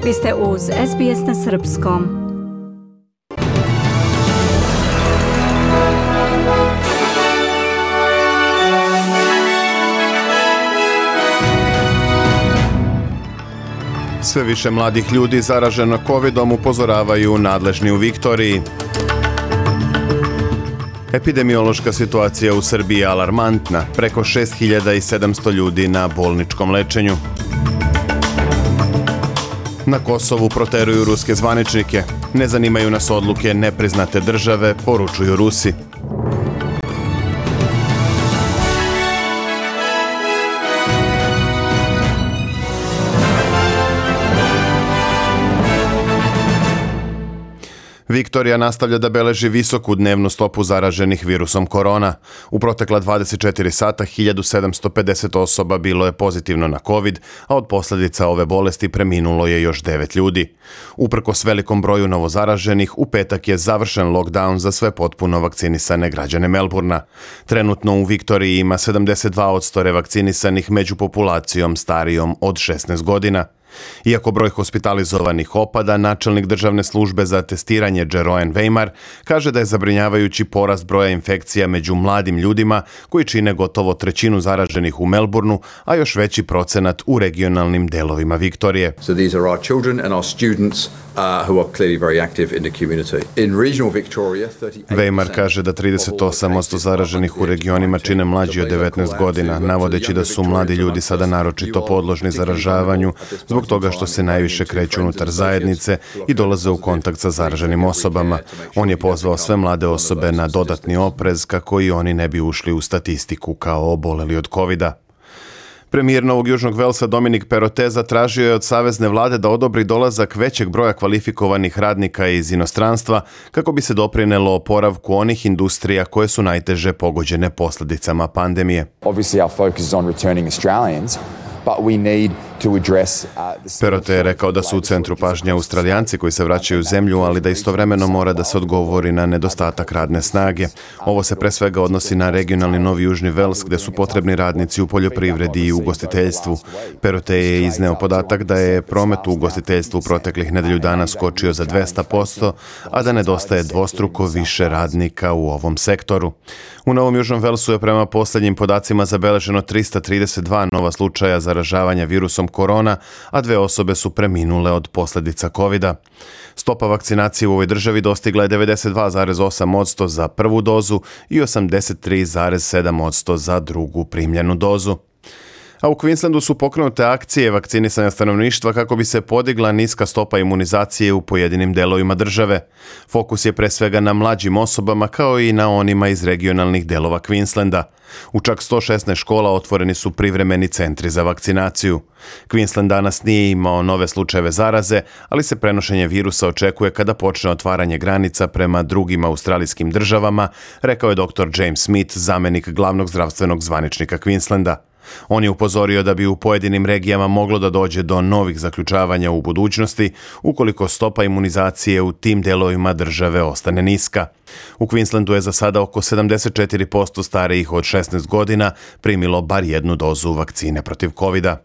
Vi ste uz SBS na srpskom. Sve više mladih ljudi zaraženo covidom upozoravaju nadležni u Viktoriji. Epidemiološka situacija u Srbiji je alarmantna, preko 6700 ljudi na bolničkom lečenju. Na Kosovu proteruju ruske zvaničnike. Ne zanimaju nas odluke nepriznate države, poručuju Rusi. Viktorija nastavlja da beleži visoku dnevnu stopu zaraženih virusom korona. U protekla 24 sata 1750 osoba bilo je pozitivno na COVID, a od posljedica ove bolesti preminulo je još 9 ljudi. Uprkos velikom broju novozaraženih, u petak je završen lockdown za sve potpuno vakcinisane građane Melburna. Trenutno u Viktoriji ima 72% revakcinisanih među populacijom starijom od 16 godina. Iako broj hospitalizovanih opada, načelnik državne službe za testiranje Jeroen Weimar kaže da je zabrinjavajući porast broja infekcija među mladim ljudima koji čine gotovo trećinu zaraženih u Melbourneu, a još veći procenat u regionalnim delovima Viktorije. So these are our children and our students who are clearly very active in the community. In regional Victoria, Weimar kaže da 38% zaraženih u regionima čine mlađi od 19 godina, navodeći da su mladi ljudi sada naročito podložni zaražavanju zbog toga što se najviše kreću unutar zajednice i dolaze u kontakt sa zaraženim osobama. On je pozvao sve mlade osobe na dodatni oprez kako i oni ne bi ušli u statistiku kao oboleli od covida. Premijer Novog Južnog Velsa Dominic Perrottet zatražio je od savezne vlade da odobri dolazak većeg broja kvalifikovanih radnika iz inostranstva kako bi se doprinelo oporavku onih industrija koje su najteže pogođene posljedicama pandemije. Obviously our focus is on returning Australians. Perrottet je rekao da su u centru pažnje Australijanci koji se vraćaju u zemlju, ali da istovremeno mora da se odgovori na nedostatak radne snage. Ovo se pre svega odnosi na regionalni Novi Južni Vels gdje su potrebni radnici u poljoprivredi i ugostiteljstvu. Perrottet je izneo podatak da je promet u ugostiteljstvu proteklih nedelju dana skočio za 200%, a da nedostaje dvostruko više radnika u ovom sektoru. U Novom Južnom Velsu je prema posljednjim podacima zabeleženo 332 nova slučaja zaražavanja virusom korona, a 2 osobe su preminule od posljedica covida. Stopa vakcinacije u ovoj državi dostigla je 92,8% za prvu dozu i 83,7% za drugu primljenu dozu. A u Queenslandu su pokrenute akcije vakcinisanja stanovništva kako bi se podigla niska stopa imunizacije u pojedinim delovima države. Fokus je pre svega na mlađim osobama kao i na onima iz regionalnih delova Queenslanda. U čak 116 škola otvoreni su privremeni centri za vakcinaciju. Queensland danas nije imao nove slučajeve zaraze, ali se prenošenje virusa očekuje kada počne otvaranje granica prema drugim australijskim državama, rekao je dr. James Smith, zamenik glavnog zdravstvenog zvaničnika Queenslanda. On je upozorio da bi u pojedinim regijama moglo da dođe do novih zaključavanja u budućnosti ukoliko stopa imunizacije u tim delovima države ostane niska. U Queenslandu je za sada oko 74% starijih od 16 godina primilo bar jednu dozu vakcine protiv covida.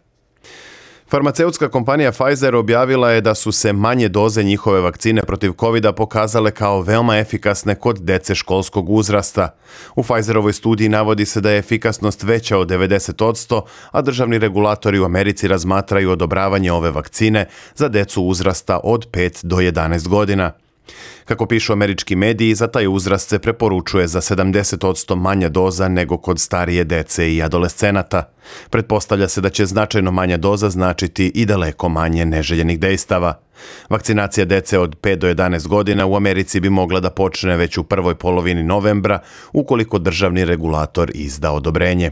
Farmaceutska kompanija Pfizer objavila je da su se manje doze njihove vakcine protiv covida pokazale kao veoma efikasne kod dece školskog uzrasta. U Pfizerovoj studiji navodi se da je efikasnost veća od 90%, a državni regulatori u Americi razmatraju odobravanje ove vakcine za decu uzrasta od 5 do 11 godina. Kako pišu američki mediji, za taj uzrast se preporučuje za 70% manja doza nego kod starije dece i adolescenata. Pretpostavlja se da će značajno manja doza značiti i daleko manje neželjenih dejstava. Vakcinacija dece od 5 do 11 godina u Americi bi mogla da počne već u prvoj polovini novembra, ukoliko državni regulator izda odobrenje.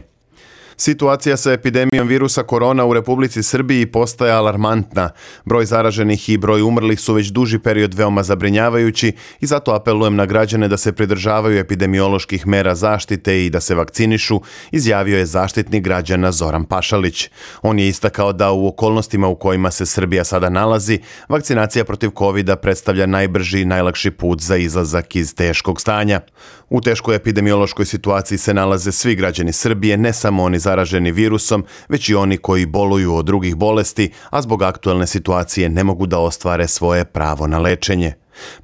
Situacija sa epidemijom virusa korona u Republici Srbiji postaje alarmantna. Broj zaraženih i broj umrlih su već duži period veoma zabrinjavajući i zato apelujem na građane da se pridržavaju epidemioloških mera zaštite i da se vakcinišu, izjavio je zaštitnik građana Zoran Pašalić. On je istakao da u okolnostima u kojima se Srbija sada nalazi, vakcinacija protiv covida predstavlja najbrži i najlakši put za izlazak iz teškog stanja. U teškoj epidemiološkoj situaciji se nalaze svi građani Srbije, ne samo oni zaraženi virusom, već i oni koji boluju od drugih bolesti, a zbog aktuelne situacije ne mogu da ostvare svoje pravo na lečenje.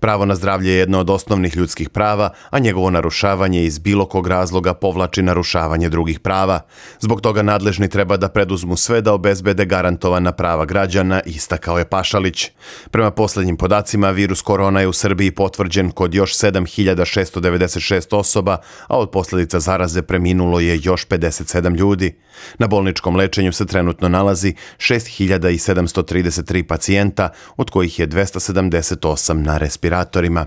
Pravo na zdravlje je jedno od osnovnih ljudskih prava, a njegovo narušavanje iz bilo kog razloga povlači narušavanje drugih prava. Zbog toga nadležni treba da preduzmu sve da obezbede garantovana prava građana, istakao je Pašalić. Prema posljednjim podacima, virus korona je u Srbiji potvrđen kod još 7.696 osoba, a od posljedica zaraze preminulo je još 57 ljudi. Na bolničkom lečenju se trenutno nalazi 6.733 pacijenta, od kojih je 278 na respiratorima.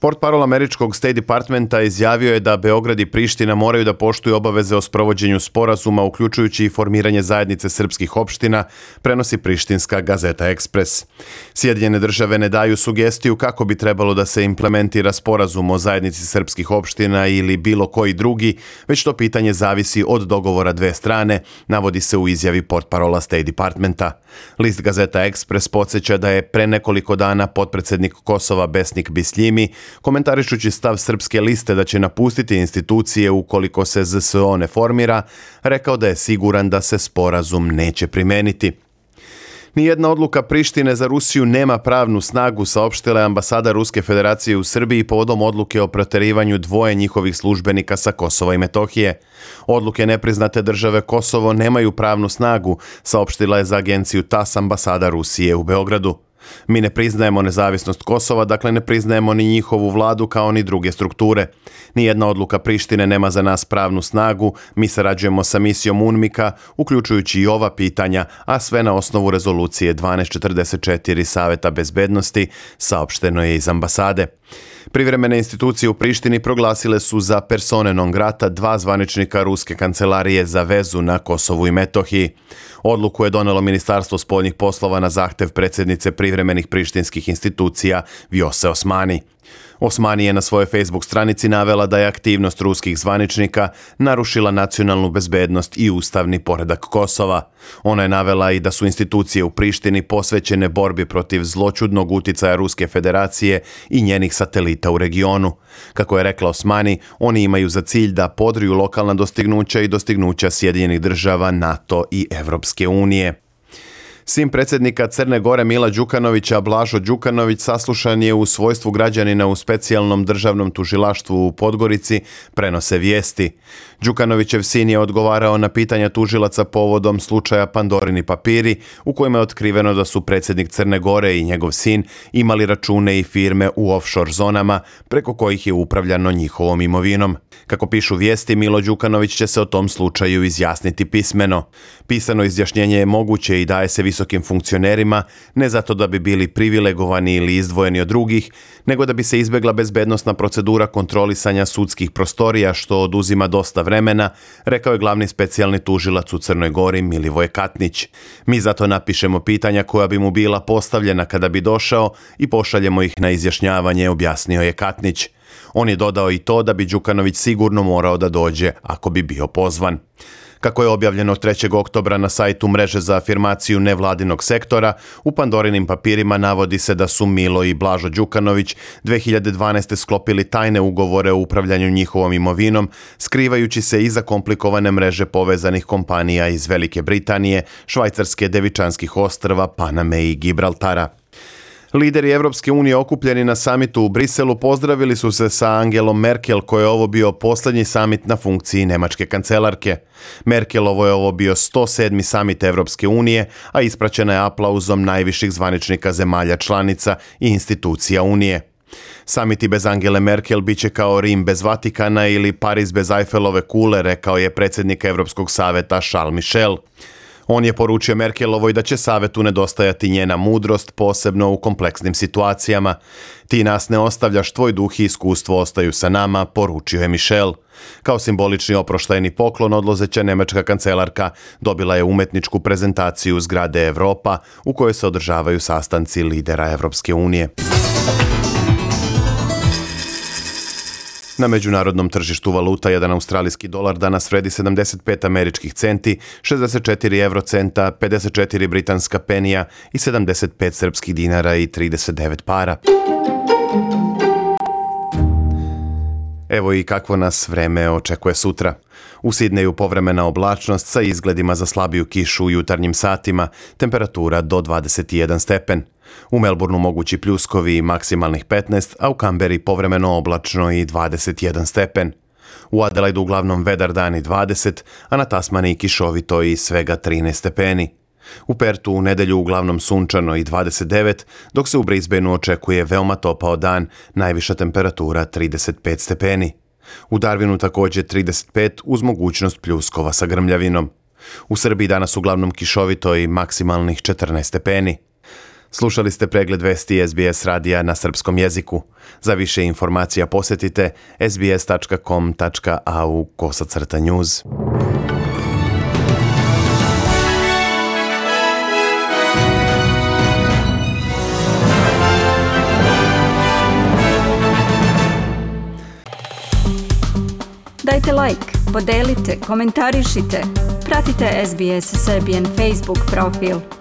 Portparol američkog State Departmenta izjavio je da Beograd i Priština moraju da poštuju obaveze o sprovođenju sporazuma, uključujući i formiranje zajednice srpskih opština, prenosi prištinska Gazeta Ekspres. Sjedinjene države ne daju sugestiju kako bi trebalo da se implementira sporazum o zajednici srpskih opština ili bilo koji drugi, već to pitanje zavisi od dogovora dve strane, navodi se u izjavi portparola State Departmenta. List Gazeta Ekspres podsjeća da je pre nekoliko dana potpredsednik Kosova Besnik Bisljimi, komentarišući stav Srpske liste da će napustiti institucije ukoliko se ZSO ne formira, rekao da je siguran da se sporazum neće primeniti. Nijedna odluka Prištine za Rusiju nema pravnu snagu, saopštila je ambasada Ruske federacije u Srbiji povodom odluke o proterivanju dvoje njihovih službenika sa Kosova i Metohije. Odluke nepriznate države Kosovo nemaju pravnu snagu, saopštila je za agenciju TAS ambasada Rusije u Beogradu. Mi ne priznajemo nezavisnost Kosova, dakle ne priznajemo ni njihovu vladu kao ni druge strukture. Nijedna odluka Prištine nema za nas pravnu snagu, mi sarađujemo sa misijom UNMIK-a, uključujući i ova pitanja, a sve na osnovu rezolucije 1244 Saveta bezbednosti, saopšteno je iz ambasade. Privremene institucije u Prištini proglasile su za persone non grata dva zvaničnika Ruske kancelarije za vezu na Kosovu i Metohiji. Odluku je donelo Ministarstvo spoljnih poslova na zahtev predsjednice privremenih prištinskih institucija Vjose Osmani. Osmani je na svojoj Facebook stranici navela da je aktivnost ruskih zvaničnika narušila nacionalnu bezbednost i ustavni poredak Kosova. Ona je navela i da su institucije u Prištini posvećene borbi protiv zloćudnog uticaja Ruske federacije i njenih satelita u regionu. Kako je rekla Osmani, oni imaju za cilj da podriju lokalna dostignuća i dostignuća Sjedinjenih država, NATO i Evropske unije. Sin predsjednika Crne Gore Mila Đukanovića, Blažo Đukanović, saslušan je u svojstvu građanina u specijalnom državnom tužilaštvu u Podgorici, prenose vijesti. Đukanovićev sin je odgovarao na pitanja tužilaca povodom slučaja Pandorini papiri, u kojima je otkriveno da su predsjednik Crne Gore i njegov sin imali račune i firme u offshore zonama, preko kojih je upravljano njihovom imovinom. Kako pišu vijesti, Milo Đukanović će se o tom slučaju izjasniti pismeno. Pisano izjašnjenje je moguće i daje se visokim funkcionerima, ne zato da bi bili privilegovani ili izdvojeni od drugih, nego da bi se izbjegla bezbednosna procedura kontrolisanja sudskih prostorija, što oduzima dosta vremena, rekao je glavni specijalni tužilac u Crnoj Gori Milivoje Katnić. Mi zato napišemo pitanja koja bi mu bila postavljena kada bi došao i pošaljemo ih na izjašnjavanje, objasnio je Katnić. On je dodao i to da bi Đukanović sigurno morao da dođe ako bi bio pozvan. Kako je objavljeno 3. oktobra na sajtu mreže za afirmaciju nevladinog sektora, u Pandorinim papirima navodi se da su Milo i Blažo Đukanović 2012. sklopili tajne ugovore o upravljanju njihovom imovinom, skrivajući se iza komplikovane mreže povezanih kompanija iz Velike Britanije, Švajcarske, Devičanskih ostrva, Paname i Gibraltara. Lideri Evropske unije okupljeni na samitu u Briselu pozdravili su se sa Angelom Merkel, koji je ovo bio posljednji samit na funkciji nemačke kancelarke. Merkelovo je ovo bio 107. samit Evropske unije, a ispraćena je aplauzom najviših zvaničnika zemalja članica i institucija Unije. Samiti bez Angele Merkel biće kao Rim bez Vatikana ili Pariz bez Eiffelove kule, rekao je predsjednik Evropskog saveta Charles Michel. On je poručio Merkelovoj da će savetu nedostajati njena mudrost, posebno u kompleksnim situacijama. Ti nas ne ostavljaš, tvoj duh i iskustvo ostaju sa nama, poručio je Michel. Kao simbolični oproštajni poklon odlazeća nemačka kancelarka dobila je umetničku prezentaciju zgrade Evropa u kojoj se održavaju sastanci lidera Evropske unije. Na međunarodnom tržištu valuta jedan australijski dolar danas vredi 75 američkih centi, 64 eurocenta, 54 britanska penija i 75 srpskih dinara i 39 para. Evo i kakvo nas vreme očekuje sutra. U Sidneju povremena oblačnost sa izgledima za slabiju kišu u jutarnjim satima, temperatura do 21 stepen. U Melbourneu mogući pljuskovi i maksimalnih 15, a u Kamberi povremeno oblačno i 21 stepen. U Adelaidu uglavnom vedar dan i 20, a na Tasmaniji kišovito i svega 13 stepeni. U Pertu u nedelju uglavnom sunčano i 29, dok se u Brisbaneu očekuje veoma topao dan, najviša temperatura 35 stepeni. U Darwinu također 35 uz mogućnost pljuskova sa grmljavinom. U Srbiji danas uglavnom kišovito i maksimalnih 14 stepeni. Slušali ste pregled vesti SBS radija na srpskom jeziku. Za više informacija posjetite sbs.com.au/news. Dajte like, podelite, komentarišite. Pratite SBS Serbian Facebook profil.